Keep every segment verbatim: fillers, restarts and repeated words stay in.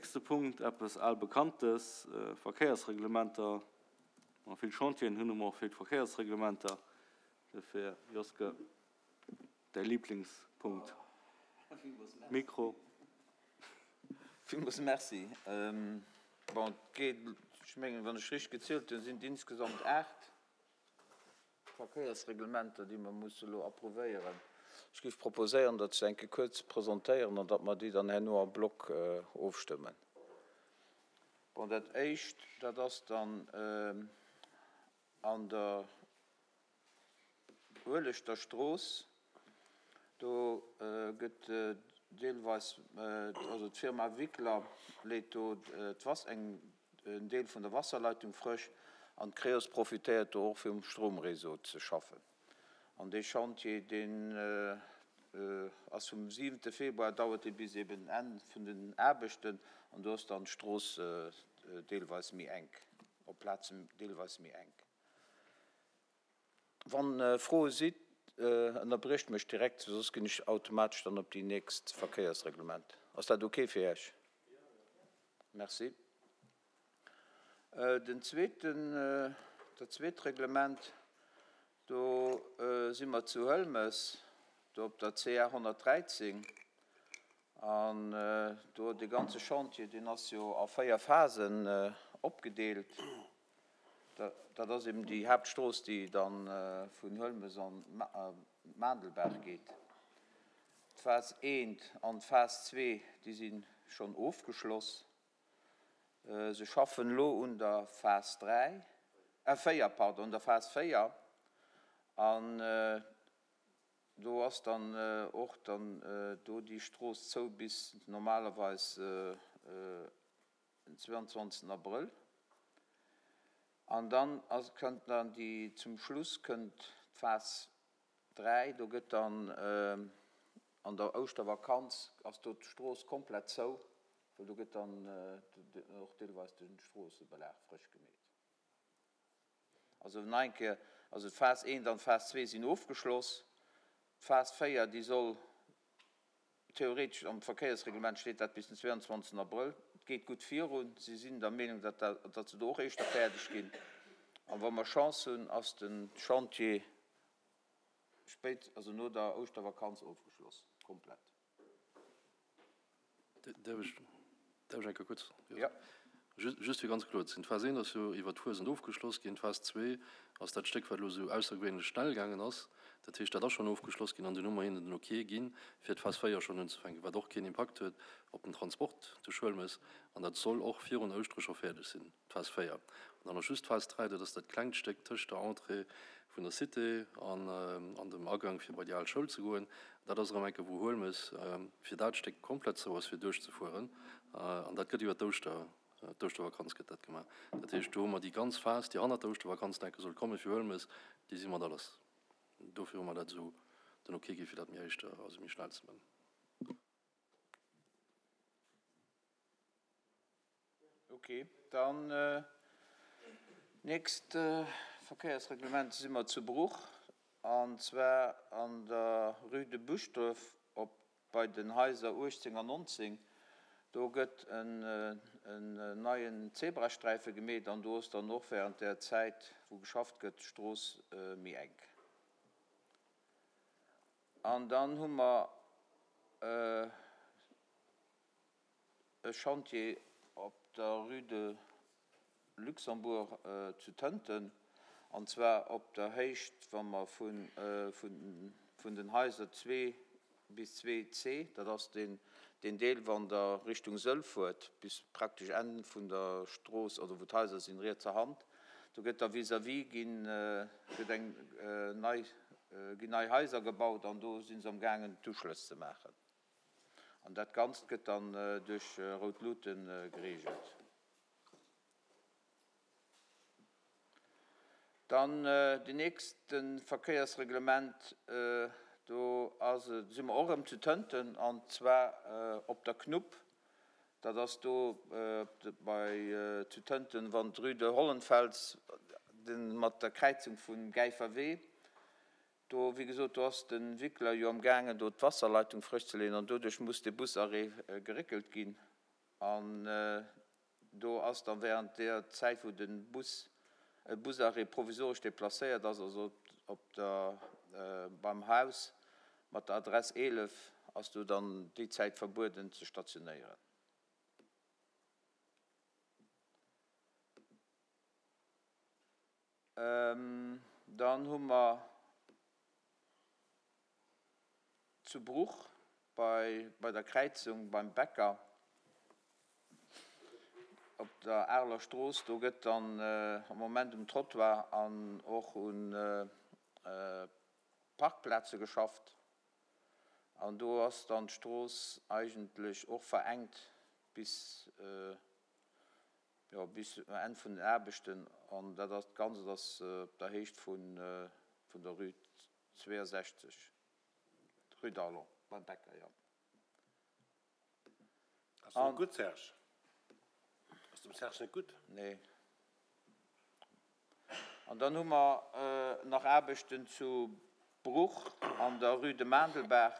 Nächste Punkt, eppes Albekanntes, Verkéiersreglementer. Wa mer vill Chantieren hunn, hu mer och vill Verkéiersreglementer. Dofir, Joske, däi Liblingspunkt. Mikro. Villmools Merci. Bon, et geet, ech mengen, wann ech richteg gezielt hunn, sinn et insgesamt aacht Verkéiersreglementer, déi mer musse elo approuvéieren. Ech géif proposéieren, datt ech se eng Kéier kuerz presentéieren an datt mer déi dann herno en bloc ofstëmmen. Bon, dat Éischt, dat ass dann an der Ueleschter Strooss. Do gëtt deelweis, also d'Firma Wickler leet do d'Wass, eng, en Deel vun der Wasserleitung frësch an d'Creos profitéiert do och fir um Stromréseau ze schaffen. An dee Chantier, deen ass vum siwente Februar, dauert dee bis eben Enn vun den Aarbechten an do ass dann d'Strooss deelweis méi enk, op Plazen deelweis méi enk. Wann Froe sidd, ënnerbriecht mech direkt, soss ginn ech automatesch dann op déi nächst Verkéiersreglement. Ass dat ok fir Iech? Merci. Den zweeten, dat zweet Reglement, do si mer zu Hëlmes, do op der C A honnertdräizéng. An do dee ganze Chantier, deen ass jo a véier Phasen opgedeelt. Dat ass eben déi Haaptstrooss, déi da vun Hëlmes an d'Maandelbaach geet. D'Phas eent an d'Phas zwee, déi si schonn ofgeschloss. Se schaffen elo un der Phas dräi, äh véier, pardon, un der Phas véier. An do ass dann och dann do déi Strooss zou bis normalerweis den zweiundzwanzigsten Abrëll. An dann ass, kënnt dann déi, zum Schluss kënnt d'Phas dräi, do gëtt dann an der Ouschtervakanz ass do d'Strooss komplett zou, well do gëtt dann och deelweis de Stroossebelag frësch gemeet. Also nach eng Kéier, also d'Phas eent an d'Phas zwee sinn ofgeschloss. D'Phas véier, déi soll theoretesch, am Verkéiersreglement steet dat, bis den zweiundzwanzigsten Abrëll. Et geet gutt virun. Si sinn der Meenung, datt datt se do och éischter fäerdeg ginn. An wa mer Chance hunn, ass de Chantier spéit, also no der Ouschtervakanz ofgeschloss, komplett. Däerf ech, däerf ech eng Kéier kuerz? Ja. Just fir ganz kloer ze sinn, D'Phas eent ass jo iwwert d'Fuesent ofgeschloss ginn. D'Phas zwee ass dat Stéck, wat elo esou aussergewéinlech schnell gaangen ass. Dat heescht, dat ass schonn ofgeschloss ginn an dunn hu mer hinnen den Ok ginn, fir d'Phas véier schonn unzefänken, wat och keen Impakt huet op den Transport duerch Huelmes. An dat soll och virun Ouschtere scho fäerdeg sinn, d'Phas véier. An dann ass just d'Phas dräi, dat ass dat klengt Stéck tëscht der Entrée vun der Cité an dem Agang fir bei déi al Schoul ze goen. Dat ass erëm enke wou Huelmes fir dat Stéck komplett zou ass fir duerchzefueren. An dat gëtt iwwer d'Ouschter, d'Ouschtervakanz gëtt dat gemaach. Dat heescht, do hu mer déi ganz Phas, déi hannert der Ouschtervakanz enke soll komme fir Huelmes, déi si mat alles. Dofir hu mer dat esou den Ok gi fir dat méi éischter, also méi schnell ze man. Ok, dann nächst Verkéiersreglement si mer zu Bruch, an zwar an der Rue de Buschdref op bei den Haiser uechtzéng an nonzéng. Do gëtt en neien Zebrasträife gemeet an do ass dann och während där Zäit, wou geschafft gëtt, d'Strooss méi enk. An dann hu mer e Chantier op der Rue de Luxembourg zu Tënten, an zwar op der Héicht, wa mer vun den Haiser zwee bis zwee C, dat ass deen Deel, wann Der Richtung Sëll fuert, bis praktesch Enn vun der Strooss, oder wou d'Haiser sinn, rietser Hand, do gëtt da vis-à-vis ginn, gëtt eng nei, ginn nei Haiser gebaut an do si se amgaangen d'Uschlëss ze maachen. An dat Ganzt gëtt dann duerch rout Luute gereegelt. Dann den nächste Verkéiersreglement, do ass et, si mer och erëm zu Tënten, an zwar op der Knupp. Dat ass do bei zu Tënten, wann d'Rue de Hollenfels mat der Kräizung vum Gäifer Wee. Do, wéi gesot, do ass de Wickler jo am gaangen, do d'Wasserleitung frësch ze leeën an doduerch muss de Busarrêt geréckelt ginn. An do ass dann während der Zäit, wou de Bus, Busarrêt provisoresch deplacéiert ass, also op der, beim Haus mat der Adress eelef, ass do dann déi Zäit verbueden ze stationéieren. Dann hu mer zu Bruch bei, bei der Kräizung beim Bäcker op der Areler Strooss, do gëtt dann am Moment um Trottoir an och un Parkplaze geschafft. An do ass dann d'Strooss eigentlech och verengt bis, jo, bis um Enn vun den Aarbechten. An dat ass, d'Ganzt ass op der Héicht vun, vun der Rue zweeënsechzeg, Rue d'Arlon, beim Bäcker, jo. Ass net gutt, Serge? Ass dem Serge net gutt? Nee. An dann hu mer nach Aarbechten zu Bruch an der Rue de Mandelberg.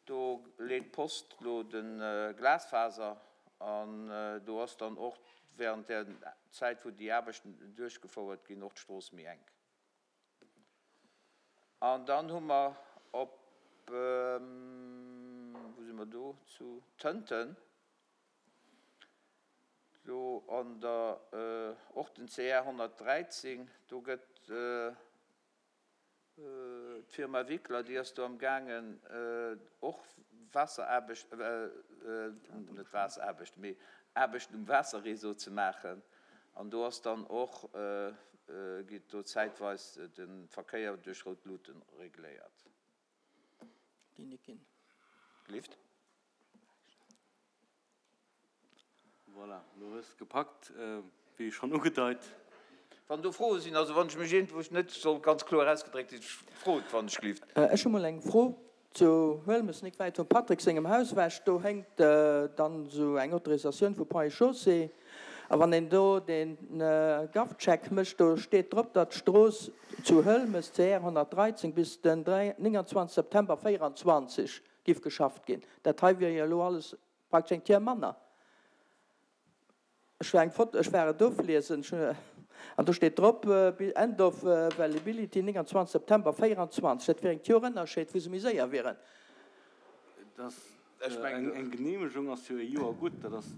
Do leet d'Post elo de Glasfaser an do ass dann och während der Zäit, wou déi Aarbechten duerchgefouert ginn, och d'Strooss méi enk. An dann hu mer op, wou si mer do, zu Tënten, do an der, och den C R honnertdräizéng, do gëtt d'Firma Wickler, déi ass do am gaangen och Waasseraarbecht, net Waasseraarbecht, mee Aarbechten um Waasserreseau ze maachen. An do ass dann och, geet do zäitweis de Verkéier duerch rout Luuten regléiert. Lift. Voilà, lo hues de gepackt, wéi schonn ugedeit. Wann do Froe sinn, also wann ech mech iergendwou net soll ganz kloer ausgedréckt sinn, frot, wann ech gelift. Ech hu mol eng Fro zu Huelmes, nik wäit vum Patrick sengem Haus ewech. Do hénkt dann esou eng Autorisatioun vu Ponts et Chaussées. A wann een do de GovCheck mécht, do steet drop, datt d'Strooss zu Huelmes, C R honnertdräizéng, bis den nénganzwanzeg September véieranzwanzeg giff geschafft ginn. Dat hei wier jo elo alles praktesch eng Tier manner. Ech war eng Foto, ech war et ofliesen, an do steet drop, End of Availability nénganzwanzeg September véieranzwanzeg. Dat wier eng Joer Ënnerscheed, wou se méi séier wieren. Das, eng, eng Genehmegung ass jo e Joer gutt, dat ass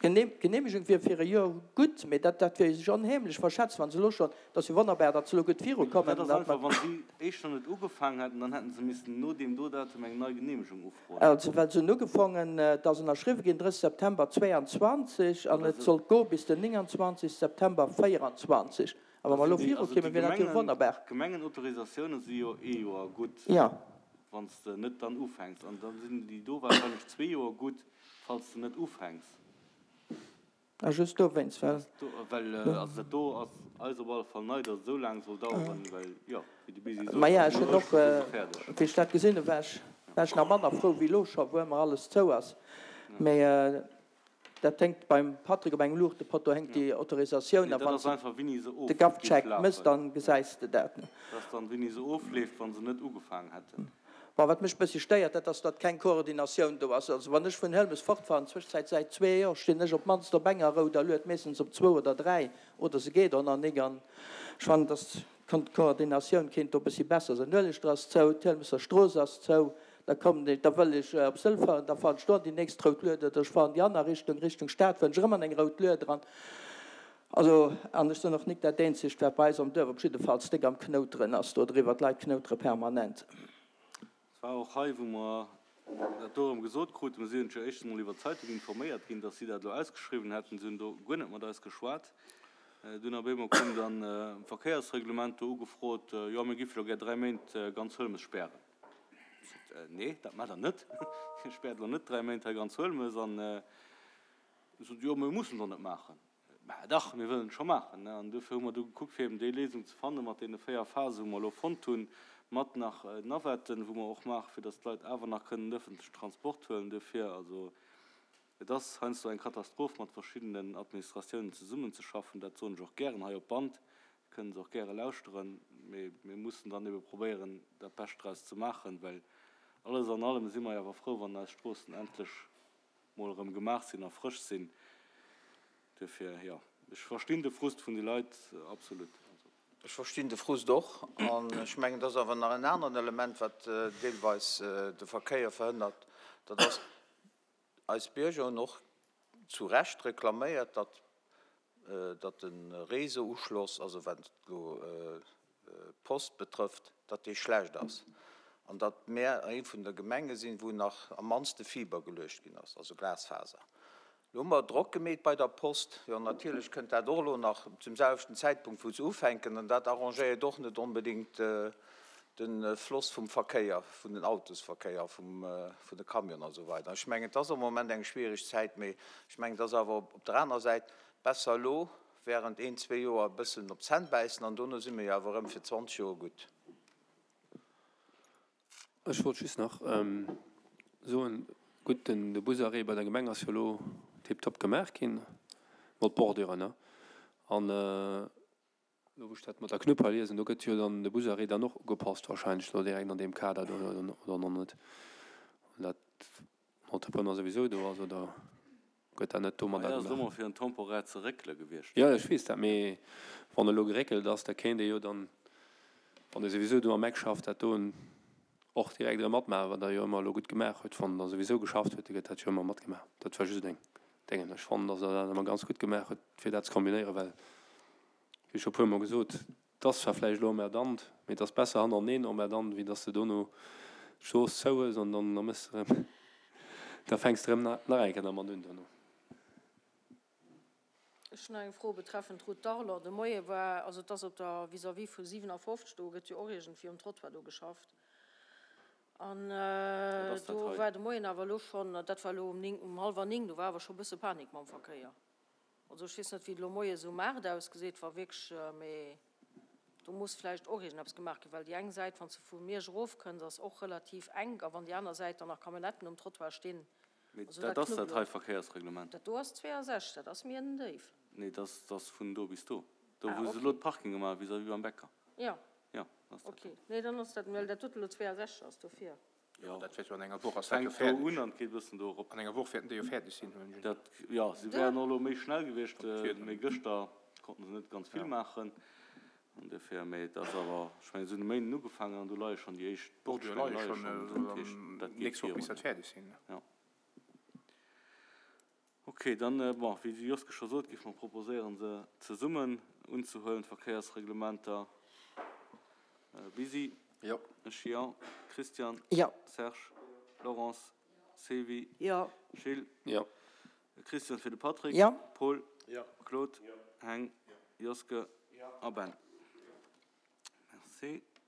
Genehmegung wier fir e Joer gutt, mee dat, dat wier sech onheemlech verschätzt, wann se elo schonn, dat ass jo wonnerbar, datt se elo gutt virukommen. Dat ass einfach, wann si éischter net ugefaangen hätten, dann hätten se missen no deem do Datum eng nei Genehmegung ufroen. Also, well se hunn ugefongen, et ass ënnerschriwwen ginn drësseg September zwéianzwanzeg an et sollt goe bis den nénganzwanzeg September véieranzwanzeg. A wa mer elo virukommen, wier dat jo wonnerbar. D'Gemengenautorisatiounen si jo ee Joer gutt, Ja. wann s de net dann ufänks. An da sinn déi do wahrscheinlech zwee Joer gutt, falls s de net ufänks. Ah, just dowéinst, well. Well, also dat do ass eis op alle Fall nei, datt et esou laang soll daueren, well, jo, wéi de Busy sot, Maja, ech no hunn och, Ouschteren si se fäerdeg. wéi ech dat gesinn hunn, war ech, war ech nach manner frou wéi elo scho, wou ëmmer alles zou ass. Mee dat héngt beim Patrick op engem Luuchtepotto héngt déi Autorisatioun, Nee, a dat wann ass s de einfach, wéini se de of géif GovCheck mëss, lafen. dann gesäis de dat. Dat ass dann, wéini se ofleeft, wa se net ugefaangen hätten. Bon, wat mech e bëssi stéiert, dat ass, datt keng Koordinatioun do ass. Also wann ech vun Hëlmes fortfahren, Zwëschenzäit säit zwee Joer, stinn ech op d'mannst op enger rouder Lued, meeschtens op zwou oder dräi, oder se geet och nach nik. An ech fannen, datt d'Koordinatioun kéint do e bëssi besser sinn. D'Nueleschter ass zou, d'Hëlmeser Strooss ass zou, da kommen ech, da wëll ech op Sëll fahren, da fahren ech do an déi nächst rout Lued, oder ech fahren déi aner Richtung, Richtung Stad, fahren ech erëm an eng rout Lued eran. Also, an ech sinn och nik dat eenzegt, wat bei eis am Duerf op jiddefalls déck am Knouteren ass do driwwer. D'Leit knoutere permanent. Et war och hei, wou mer dat do erëm gesot kruten, mir sinn jo éischtens emol iwwer d'Zeitung informéiert ginn, dass si dat elo ausgeschriwwen hätten. Si hunn do guer net mat eis geschwat. Dunn op eemol koum dann e Verkéiersreglement do ugefrot, jo, mir géife lo gär dräi Méint ganz Huelmes spären. Ech sot, nee, dat maacht Der net. Dir späert elo net dräi Méint hei ganz Huelmes. An si sot, jo, mir mussen et och net maachen. Mä dach, mir wëllen et scho maachen. An dofir hu mer du gekuckt, fir eben déi Léisung ze fannen, mat deene véier Phasen, wou mer elo fonnt hunn, mat nach Navetten, wou mer och maachen, fir datt d'Leit awer nach kënnen den öffentlechen Transport huelen. Dofir, also et ass heiansdo eng Katastroph, mat verschiddenen Administratiounen zesummenzeschaffen. Dat soen ech och gären hei op Band, kënnen se och gäre lauschteren. Mee mir mussen dann ebe probéieren, dat Bescht draus ze maachen, well alles an allem si mer jo awer frou, wann eis Stroossen endlech mol erëm gemaach sinn a frësch sinn. Duerfir, jo, ech verstinn de Frust vun de Leit absolut. Ech verstinn de Frust och. An ech mengen, et ass awer nach en aneren Element, wat deelweis de Verkéier verhënnert, dat ass, eis Bierger hunn och zu Recht reklaméiert, datt, datt de Réseauuschloss, also wat elo d'Post betrëfft, datt dee schlecht ass an datt mär eng vun de Gemenge sinn, wou nach am mannste Fiber geluecht ginn ass, also Glasfaser. Lo hu mer Drock gemeet bei der Post. Jo, natierlech kënnt dat och elo nach zum selwechten Zäitpunkt, wou se ufänken, an dat arrangéiert och net onbedéngt de Floss vum Verkéier, vun den Autosverkéier, vum, vun de Camionen a sou weider. Ech mengen, et ass am Moment eng schwierig Zäit, mee ech mengen, et ass awer op der anerer Säit besser elo während een, zwee Joer e bëssen op d'Zänn bäissen an dono si mir jo awer erëm fir zwanzeg Joer gutt. Ech wollt just nach soen, gutt, den de Busarrêt bei der Gemeng ass jo elo tiptop gemaach ginn, mat Borduren, ne? An elo wou ech dat mat der Knupp hei liesen, do gëtt jo dann de Busarrêt dann och ugepasst wahrscheinlech elo direkt an deem Kader do, oder nach net? An dat Entrepreneur souwisou do ass, oder gëtt dat net domadder Hei ass et gemaach? ëmmer fir en temporaire ze réckele gewiescht. Jo, ech weess dat, mee wann elo geréckelt ass, da kéint ee jo dann, wann ee souwisou do am Eck schafft, dat do och direkt erëm matmaachen, wat Der jo ëmmer elo gutt gemaach hutt. Wann Der souwisou geschafft hutt, da gëtt dat jo ëmmer matgemaach. Dat war just eng Déngen. Ech fannen, datt Der dat ëmmer ganz gutt gemaach hutt, fir dat ze kombinéieren, well, wéi scho e puermol gesot, et ass zwar vläicht elo emmerdant, mee et ass besser hannerteneen emmerdant, wéi datt s de dono d'Strooss zou hues an dann da méchs de erëm, da fänks de erëm nach eng Kéier dermat un dono. Ech hunn nach eng Fro betreffend d'Route d'Arlon. De Moie war, also et ass op der vis-à-vis vu siwenafofzeg, do gëtt jo och iergendwéi um Trottoir do geschafft. An do war de Moien awer elo schonn, dat war elo um néng, um hallwer néng, do war awer scho e bësse Panik mam Verkéier. Also ech weess net, wéi et elo moies um aacht ausgeseet, wa wierklech, mee do muss vläicht och iergendeppes gemaach ginn, well déi eng Säit, wann s de vu Miersch erofkënns, ass och relativ enk a wann déi aner Säit dann nach Camionnetten um Trottoir stinn, Mee also dat dat ass dat hei Knubbelot. Verkéiersreglement. Dat do ass zweeasechzeg, dat ass méi en Déif. Nee, dat ass, dat ass vun do bis do. Do, Ah, wou se okay. elo d'Parking gemaach hu vis-à-vis beim Bäcker. Jo. Jo, dat ass dat Ok, do. nee, dann ass dat, well dat dote elo zweeasechzeg ass, dofir. Jo, Dat wäert jo an enger Woch ass dat jo fänkt do fäerdeg. un an geet e bëssen do erop. An enger Woch wäerten déi jo fäerdeg sinn, hunn ech. Dat, jo, si wären och elo méi schnell gewiescht, mee gëschter konnten se net ganz vill Ja. maachen. An dofir, mee et ass awer, ech mengen, se hunn e Méinden ugefaangen an do leie schonn déi éischt Bordure Bordstein leie leie schonn, schonn, dat heescht, dat geet nächst Woch virun. misst dat fäerdeg sinn. Jo. Ok, dann, bon, wéi de Joske scho sot, géife mer proposéieren, se zesummen unzehuelen, d'Verkéiersreglementer. Bisi? Jo. Ech jo. Christian? Jo. Serge? Laurence? Sylvie? Jo. Gilles? Jo. Christian fir de Patrick? Jo. Paul? Jo. Claude? Heng? Joske? A Ben? Merci.